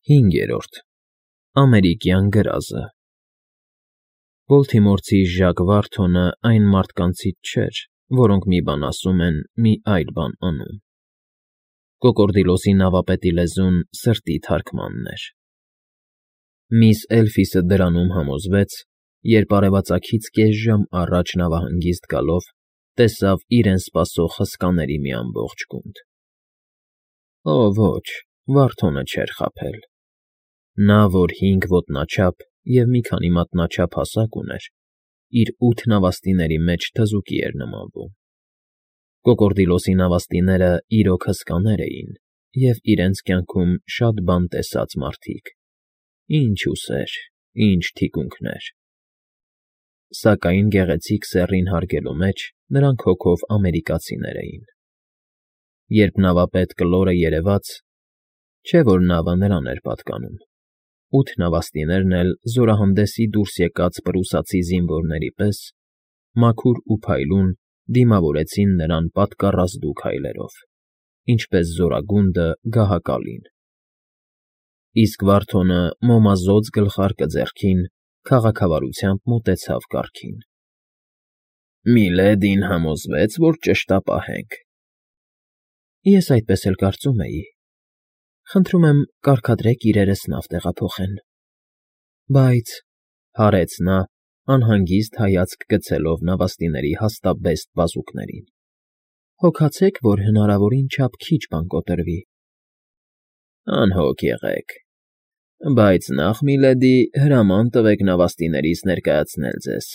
5. Ամերիկյան գրազը Բոլթիմորցի Ժակ Վարթոնը այն մարդկանցից չէր, որոնք մի բան ասում են, մի այլ բան անում. Կոկորդիլոսի նավապետի լեզուն սրտի թարգմանն էր։ Միս Էլֆիսը դրանում համոզվեց, երբ արևածագից կես ժամ առաջ նավահանգիստ գալով տեսավ իրեն սպասող հսկաների մի ամբողջ գունդ։ Օ ոչ, Վարթոնը չէր խաբել։ Նա, որ 5 ոտնաչափ և մի քանի մատնաչափ հասակ ուներ, իր 8 նավաստիների մեջ թզուկի էր նմանվում։ Կոկորդիլոսի նավաստիները իրոք հսկաներ էին և իրենց կյանքում շատ բան տեսած մարդիկ. ինչ ուսեր, ինչ թիկունքներ։ Սակայն գեղեցիկ սեռին հարգելու մեջ նրանք հոգով ամերիկացիներ էին։ Երբ նավապետ Կլորը երևաց, չէ՞ որ նավը նրան էր պատկանում, 8 նավաստիներն էլ զորահանդեսի դուրս եկած պրուսացի զինվորների պես, մաքուր ու փայլուն դիմավորեցին նրան պատկառազդու քայլերով, ինչպես զորագունդը գահակալին։ Իսկ Վարթոնը մոմազոծ գլխարկը ձեռքին քաղաքավարությամբ մոտեցավ կառքին։ Միլեդին համոզվեց, որ ճշտապահ ենք։ Ես այդպես էլ կարծում էի։ Խնդրում եմ, կարգադրեք իրերս նավ տեղափոխեն։ Բայց,֊ հարեց նա, անհանգիստ հայացք գցելով նավաստիների հաստաբեստ բազուկներին,֊ հոգացեք, որ հնարավորին չափ քիչ բան կոտրվի։ Անհոգ եղեք, բայց նախ, միլեդի, հրաման տվեք նավաստիներիս ներկայացնել ձեզ։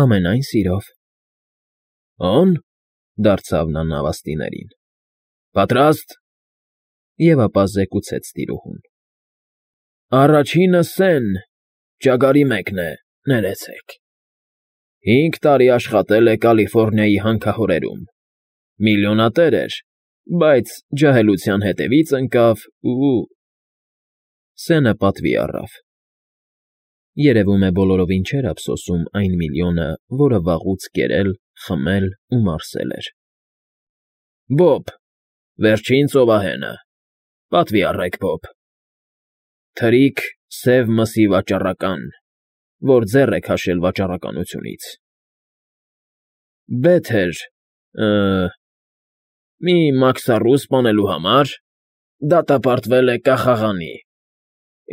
Ամենայն սիրով։ Օն,֊ դարձավ նա նավաստիներին,֊ պատրաստ։ Եվ ապա զեկուցեց տիրուհուն. Առաջինը Սեն, ճագարի մեկն է, ներեցեք։ 5 տարի աշխատել է Կալիֆոռնիայի հանքահորերում, միլիոնատեր էր, բայց ջահելության հետևից ընկավ ու… Սենը պատվի առավ։ Երևում է բոլորովին չէր ափսոսում այն միլիոնը, որը վաղուց կերել, խմել ու մարսել էր։ Բոբ, վերջին ծովահենը, պատվի առեք, Բոբ։ Թրիկ, սև մսի վաճառական, որ ձեռ է քաշել վաճառականությունից։ Բեթեր, մի մաքսառու սպանելու համար, դատապարտվել է կախաղանի։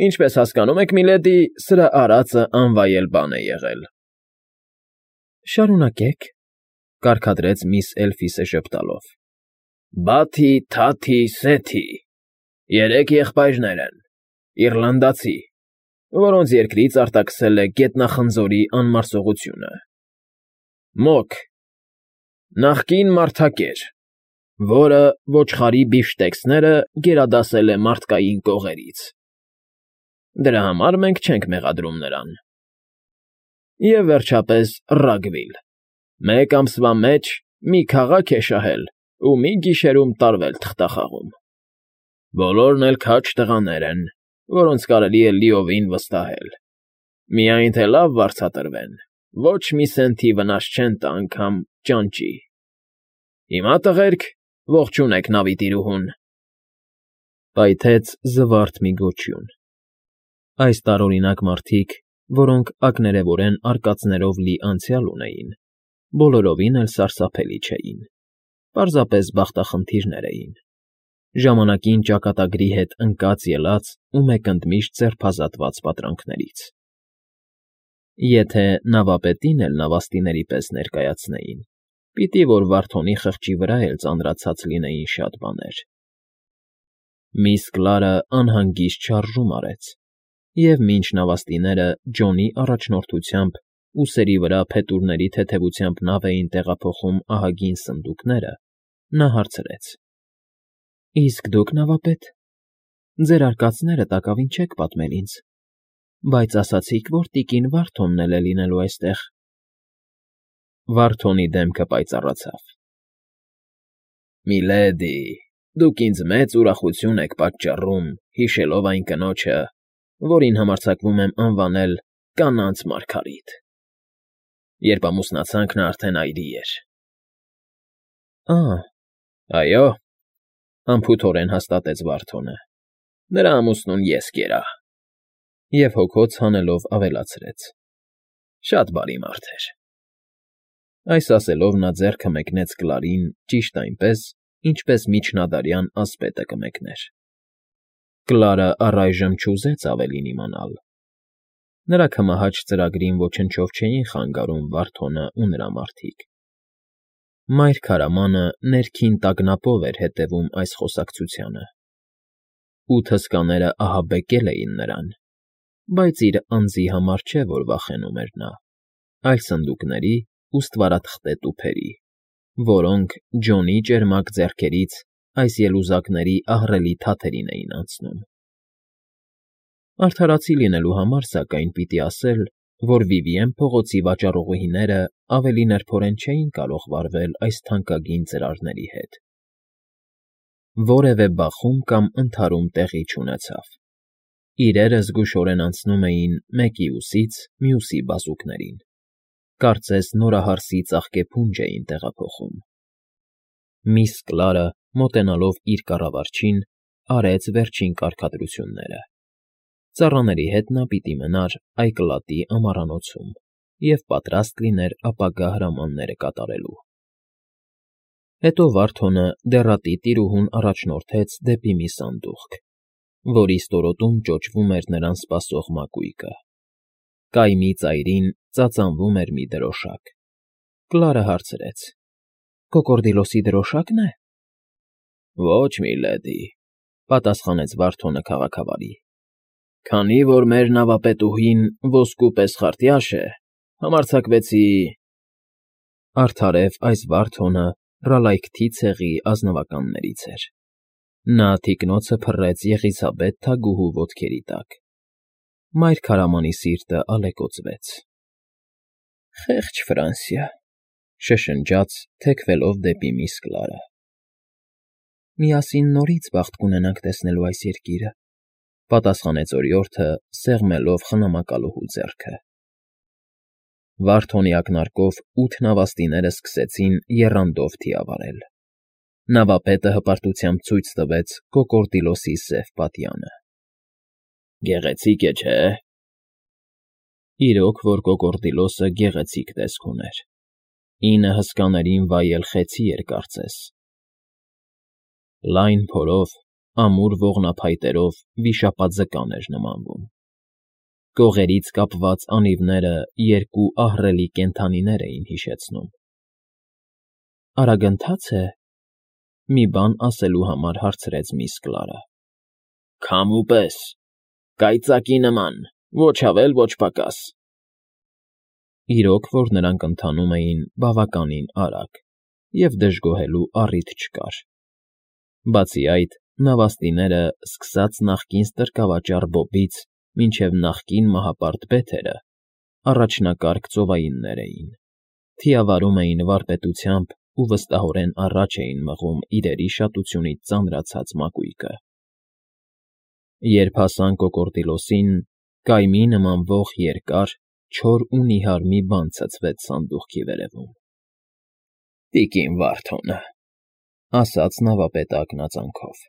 Ինչպես հասկանում եք, միլեդի, սրա արածը անվայել բան է եղել։ Շարունակեք,֊ կարգադրեց միս Էլֆիսը ժպտալով։ Բաթի, Թաթի, Սեթի, 3 եղբայրներ են, իռլանդացի, որոնց երկրից արտաքսել է գետնախնձորի անմարսողությունը։ Մոք, նախկին մարդակեր, որը ոչխարի բիֆշտեքսները գերադասել է մարդկային կողերից։ Դրա համար մենք չենք մեղադրում նրան։ Եվ վերջապես Ռագվիլ, 1 ամսվա մեջ մի քաղաք է շահել ու մի գիշերում տարվել թղթախաղում։ Բոլորն էլ քաջ տղաներ են, որոնց կարելի է լիովին վստահել։ Միայն թե լավ վարձատրվեն, ոչ մի սենթի վնաս չեն տա անգամ ճանճի։ Հիմա, տղերք, ողջունեք նավի տիրուհուն։ Պայթեց զվարթ մի գոչյուն։ Այս տարօրինակ մարդիկ, որոնք ակներևորեն արկածներով լի անցյալ ունեին, բոլորովին էլ սարսափելի չէին, պարզապես բախտախնդիրներ էին, ժամանակին ճակատագրի հետ ընկած֊ելած ու մեկընդմիշտ ձերբազատված պատրանքներից։ Եթե նավապետին էլ նավաստիների պես ներկայացնեին, պիտի որ Վարթոնի խղճի վրա էլ ծանրացած լինեին շատ բաներ։ Միս Կլարը անհանգիստ շարժում արեց, և մինչ նավաստիները Ջոնի առաջնորդությամբ ուսերի վրա փետուրների թեթևությամբ նավ էին տեղափոխում ահագին սնդուկները, նա հարցրեց. Իսկ դուք, նավապետ, ձեր արկածները տակավին չեք պատմել ինձ, բայց ասացիք, որ տիկին Վարթոնն էլ է լինելու այստեղ։ Վարթոնի դեմքը պայծառացավ։ Միլեդի, դուք ինձ մեծ ուրախություն եք պատճառում, հիշելով այն կնոջը, որին համարձակվում եմ անվանել կանանց մարգարիտ։ Երբ ամուսնացանք, նա արդեն այրի էր։ Այո, անփութորեն հաստատեց Վարթոնը։ Նրա ամուսնուն ես կերա։ Եվ հոգոց հանելով ավելացրեց. Շատ բարի մարդ էր։ Այս ասելով նա ձեռքը մեկնեց Կլարին ճիշտ այնպես, ինչպես միջնադարյան ասպետը կմեկներ։ Կլարը առայժմ չուզեց ավելին իմանալ։ Նրա կմահաճ ծրագրին ոչնչով չէին խանգարում Վարդոնը ու նրա մարդիկ։ Մայր քարամանը ներքին տագնապով էր հետևում այս խոսակցությանը։ 8 հսկաները ահաբեկել էին նրան, բայց իր անձի համար չէ, որ վախենում էր նա, այլ սնդուկների ու ստվարաթղթե տուփերի, որոնք Ջոնի ճերմակ ձեռքերից այս ելուզակների ահռելի թաթերին էին անցնում։ Արդարացի լինելու համար, սակայն, պիտի ասել, որ Վիվիեն փողոցի վաճառուհիները ավելի նրբորեն չէին կարող վարվել այս թանկագին ծրարների հետ։ Որևէ բախում կամ ընդհարում տեղի չունեցավ։ Իրերը զգուշորեն անցնում էին մեկի ուսից մյուսի բազուկներին, կարծես նորահարսի ծաղկեփունջ էին տեղափոխում։ Միս Կլարը, մոտենալով իր կառավարչին, արեց վերջին կարգադրությունները։ Ծառաների հետ նա պիտի մնար Այկլատի ամառանոցում և պատրաստ լիներ ապագա հրամանները կատարելու։ Հետո Վարդոնը դեռատի տիրուհուն առաջնորդեց դեպի մի սանդուղք, որի ստորոտում ճոճվում էր նրան սպասող մակույկը։ Կայմի ծայրին ծածանվում էր մի դրոշակ։ Կլարը հարցրեց. «Կոկորդիլոսի դրոշա՞կն է»։ Ոչ, միլեդի, պատասխանեց Վարդոնը քաղաքավարի։ Քանի որ մեր նավապետուհին ոսկու պես խարտյաշ է, համարձակվեցի… Արդարև այս Վարդոնը Ռալայքթի ցեղի ազնվականներից էր։ Նա թիկնոցը փռեց Եղիսաբեթ թագուհու ոտքերի տակ։ Մայր քարամանի սիրտը ալեկոծվեց։ «Խեղճ Ֆրանսիա», շշնջաց, թեքվելով դեպի միս Կլարը։ «Միասին նորից բախտ կունենանք տեսնելու այս երկիրը», պատասխանեց օրիորդը, սեղմելով խնամակալուհու ձեռքը։ Վարդոնի ակնարկով 8 նավաստիները սկսեցին եռանդով թիավարել։ Նավապետը հպարտությամբ ցույց տվեց Կոկորդիլոսի սև պատյանը։ Գեղեցիկ է, չէ՞։ Իրոք որ Կոկորդիլոսը գեղեցիկ տեսք ուներ։ 9 հսկաներին վայել խեցի էր կարծես։ Լայն փորով, ամուր ողնափայտերով վիշապաձկան էր նմանվում։ Կողերից կապված անիվները երկու ահռելի կենդանիներ էին հիշեցնում։ «Արագընթաց է», մի բան ասելու համար հարցրեց միս Կլարը։ Քամու պես, կայծակի նման, ոչ ավել, ոչ պակաս։ Իրոք որ նրանք ընթանում էին բավականին արագ, և դժգոհելու առիթ չկար։ Բացի այդ, նավաստիները, սկսած նախկին ստրկավաճառ Բոբից մինչև նախկին մահապարտ Բեթերը, առաջնակարգ ծովայիններ էին, թիավարում էին վարպետությամբ ու վստահորեն առաջ էին մղում իրերի շատությունից ծանրացած մակույկը։ Երբ հասան Կոկորդիլոսին, կայմի նմանվող երկար, չոր ու նիհար մի բան ցցվեց սանդուղքի վերևում։ «Տիկին Վարդոնը», ասաց նավապետը ակնածանքով։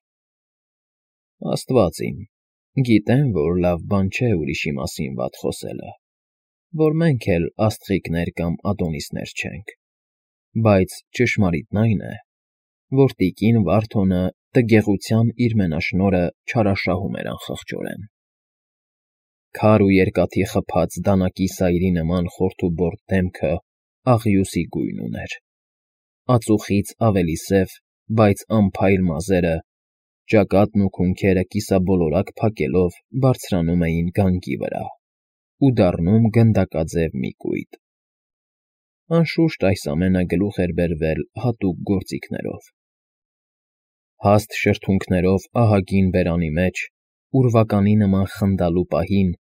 Աստված իմ, գիտեմ, որ լավ բան չէ ուրիշի մասին վատ խոսելը, որ մենք էլ աստղիկներ կամ ադոնիսներ չենք, բայց ճշմարիտն այն է, որ տիկին Վարդոնը տգեղության իր մենաշնորհը չարաշահում էր անխղճորեն։ Քար ու երկաթի խփած դանակի սայրի նման խորթուբորդ դեմքը աղյուսի գույն ուներ։ Ածուխից ավելի սև, բայց անփայլ մազերը, ճակատն ու քունքերը կիսաբոլորակ փակելով բարձրանում էին գանգի վրա ու դառնում գնդակաձև մի կույտ։ Անշուշտ այս ամենը գլուխ էր բերվել հատուկ գործիքներով։ Հաստ շրթունքներով ահագին բերանի մեջ, ուրվականի նման խնդալու պահին,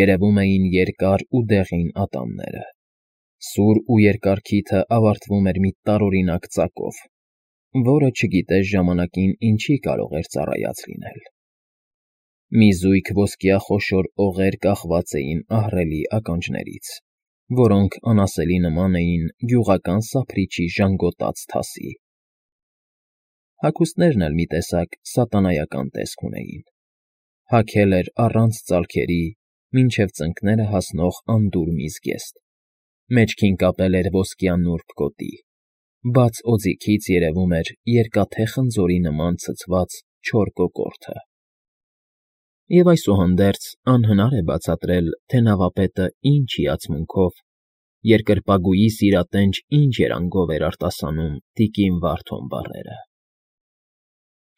երևում էին երկար ու դեղին ատամները։ Սուր ու երկար քիթը ավարտվում էր մի տարօրինակ ծակով, որը չգիտես ժամանակին ինչի կարող էր ծառայած լինել։ Մի զույգ ոսկյա խոշոր օղեր կախված էին ահռելի ականջներից, որոնք անասելի նման էին գյուղական սափրիչի ժանգոտած թասի։ Հագուստներն էլ մի տեսակ սատանայական տեսք ունեին։ Հագել էր առանց ծալքերի, մինչև ծնկները հասնող անդուր միզգեստ, մեջքին կապել էր ոսկյա նուրբ գոտի, բաց օձիքից երևում էր երկաթե խնձորի նման ցցված չոր կոկորդը։ Եվ այսուհանդերձ անհնար է բացատրել, թե նավապետը ինչ հիացմունքով, երկրպագուի սիրատենչ ինչ երանգով էր արտասանում տիկին Վարդոն բառերը։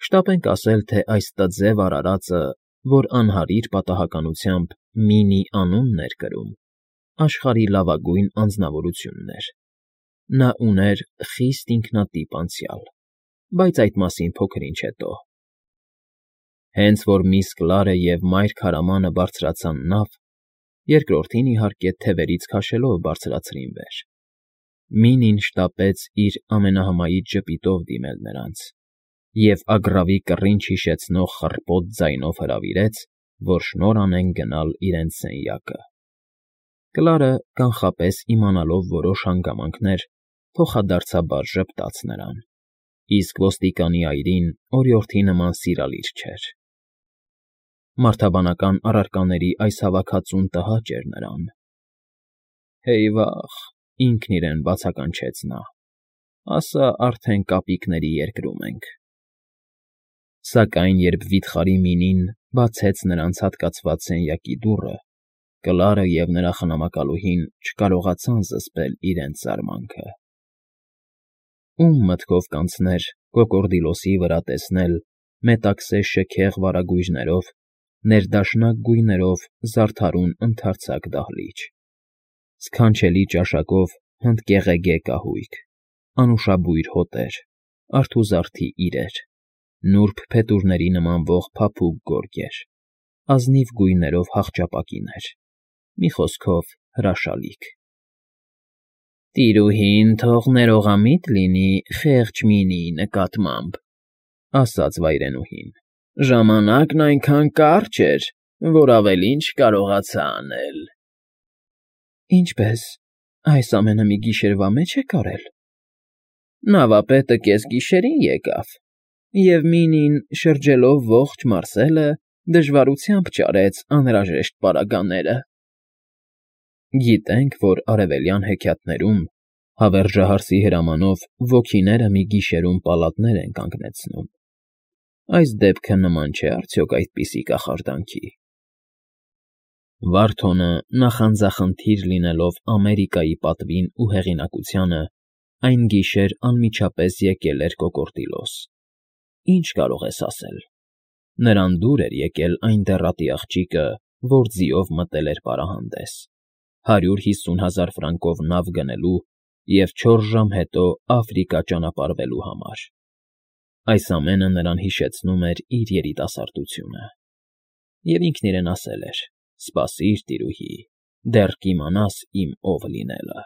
Շտապենք ասել, թե այս տձև արարածը, որ անհարիր պատահականությամբ Մինի անունն էր կրում, աշխարհի լավագույն անձնավորությունն էր։ Նա ուներ խիստ ինքնատիպ անցյալ, բայց այդ մասին փոքր-ինչ հետո։ Հենց որ միս Կլարը և մայր քարամանը բարձրացան նավ, երկրորդին, իհարկե, թևերից քաշելով բարձրացրին վեր, Մինին շտապեց իր ամենահմայիչ ժպիտով դիմել նրանց և ագռավի կռինչ հիշեցնող խռպոտ ձայնով հրավիրեց, որ շնորհ անեն գնալ իրենց սենյակը։ Կլարը, կանխապես իմանալով որոշ հանգամանքներ, փոխադարձաբար ժպտաց նրան, իսկ ոստիկանի այրին օրիորդի նման սիրալիր չէր։ Մարդաբանական առարկաների այս հավաքածուն տհաճ էր նրան։ Հեյվախ, ինքն իրեն բացականչեց նա, ասա արդեն կապիկների երկրում ենք։ Սակայն երբ վիթխարի Մինին բացեց նրանց հատկացված սենյակի դուռը, Կլարը և նրա խնամակալուհին չկարողացան զսպել իրենց զարմանքը։ Ում մտքով կանցներ կոկորդիլոսի վրա տեսնել մետաքսե շքեղ վարագույրներով, ներդաշնակ գույներով զարդարուն ընդարձակ դահլիճ, սքանչելի ճաշակով հնդկեղեգե կահույք, անուշաբույր հոտեր, արթուզարդի իրեր, նուրբ փետուրների նմանվող փափուկ գորգեր, ազնիվ գույներով հախճապակիներ, մի խոսքով հրաշալիք։ «Տիրուհին թող ներողամիտ լինի խեղճ Մինիի նկատմամբ,֊ ասաց վայրենուհին,֊ ժամանակն այնքան կարճ էր, որ ավելին չկարողացա անել»։ ֊ Այս ամենը մի գիշերվա մեջ եք արել։ Նավապետը կեսգիշերին եկավ, և Մինին, շրջելով ողջ մարսելը, դժվարությամբ ճարեց անհրաժեշտ պարագաները։ Գիտենք, որ արևելյան հեքիաթներում հավերժահարսի հրամանով ոգիները մի գիշերում պալատներ են կանգնեցնում։ Այս դեպքը նման չէ արդյոք այդպիսի կախարդանքի։ Վարդոնը, նախանձախնդիր լինելով Ամերիկայի պատվին ու հեղինակությանը, այն գիշեր անմիջապես եկել էր կոկորդիլոս։ Ինչ կարող ես ասել։ Նրան դուր էր եկել այն դեռատի աղջիկը, որ ձիով մտել էր պարահանդես, 150,000 ֆրանկով նավ գնելու և 4 ժամ հետո Աֆրիկա ճանապարհվելու համար։ Այս ամենը նրան հիշեցնում էր իր երիտասարդությունը։ Եվ ինքն իրեն ասել էր. «Սպասիր, տիրուհի, դեռ կիմանաս իմ ով լինելը»։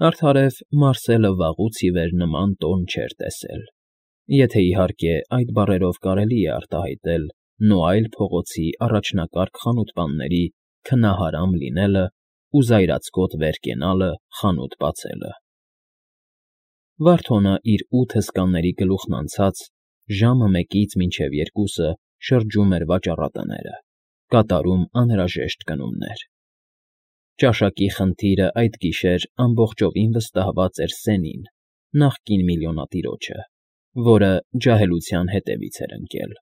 Արդարև Մարսելը վաղուց ի վեր նման տոն չէր տեսել, եթե, իհարկե, այդ բառերով կարելի է արտահայտել Նոայլ փողոցի առաջնակարգ խանութպանների քնահարամ լինելը ու զայրացկոտ վեր կենալը խանութ բացելը։ Վարդոնը իր 8 հսկաների գլուխն անցած ժամը 1-ից մինչև 2-ը շրջում էր վաճառատները, կատարում անհրաժեշտ գնումներ։ Ճաշակի խնդիրը այդ գիշեր ամբողջովին վստահված էր Սենին, նախկին միլիոնատիրոջը, որը ջահելության հետևից էր ընկել։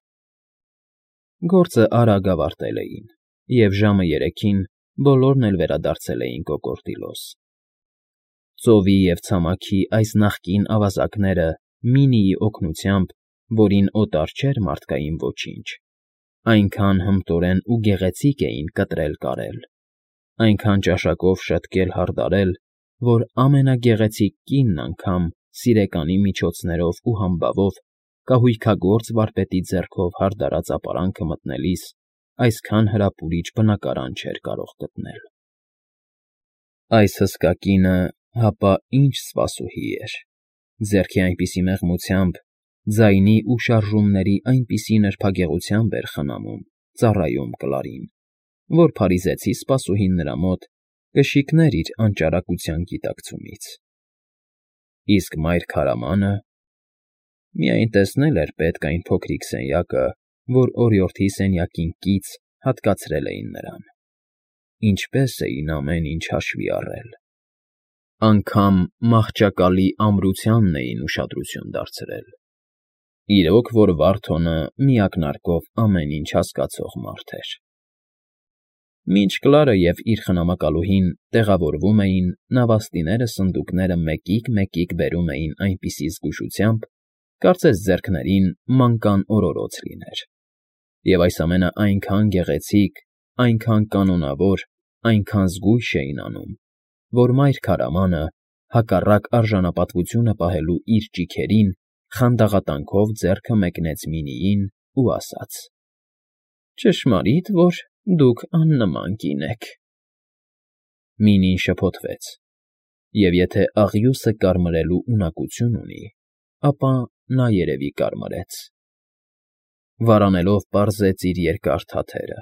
Գործը արագ ավարտել էին, և ժամը 3-ին բոլորն էլ վերադարձել էին կոկորդիլոս։ Ծովի և ցամաքի այս նախկին ավազակները Մինիի օգնությամբ, որին օտար չէր մարդկային ոչինչ, այնքան հմտորեն ու գեղեցիկ էին կտրել֊կարել, այնքան ճաշակով շտկել֊հարդարել, որ ամենագեղեցիկ կինն անգամ սիրեկանի միջոցներով ու համբավով կահույքագործ վարպետի ձեռքով հարդարած ապարանքը մտնելիս այսքան հրապուրիչ բնակարան չէր կարող գտնել։ Այս հսկա կինը, հապա ինչ սպասուհի էր, ձեռքի այնպիսի մեղմությամբ, ձայնի ու շարժումների այնպիսի նրբագեղությամբ էր խնամում, ծառայում Կլարին, որ փարիզեցի սպասուհին նրա մոտ կշիկներ իր անճարակության գիտակցումից։ Իսկ մայր քարամանը… Միայն տեսնել էր պետք այն փոքրիկ սենյակը, որ օրիորդի սենյակին կից հատկացրել էին նրան։ Ինչպես էին ամեն ինչ հաշվի առել։ Անգամ մահճակալի ամրությանն էին ուշադրություն դարձրել։ Իրոք, որ Վարդոնը միակնարկով ամեն ինչ հասկացող մարդ էր։ Մինչ Կլարը և իր խնամակալուհին տեղավորվում էին, նավաստիները սնդուկները մեկիկ֊մեկիկ բերում էին այնպիսի զգուշությամբ, կարծես ձեռքներին մանկան օրորոց լիներ, և այս ամենը այնքան գեղեցիկ, այնքան կանոնավոր, այնքան զգույշ էին անում, որ մայր քարամանը, հակառակ արժանապատվությունը պահելու իր ճիգերին, խանդաղատանքով ձեռքը մեկնեց Մինիին ու ասաց. «Ճշմարիտ, որ դուք աննման կին եք»։ Մինին շփոթվեց, և եթե աղյուսը կարմրելու ունակություն ունի, ապա նա երևի կարմրեց։ Վարանելով պարզեց իր երկար թաթերը,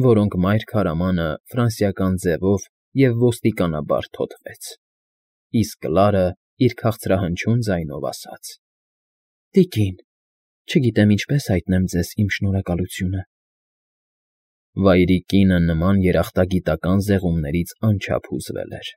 որոնք մայր քարամանը ֆրանսիական ձևով և ոստիկանաբար թոթվեց, իսկ Կլարը իր քաղցրահնչյուն ձայնով ասաց. «Տիկին, չգիտեմ ինչպես հայտնեմ ձեզ իմ շնորհակալությունը»։ Վայրի կինը նման երախտագիտական զեղումներից անչափ հուզվել էր։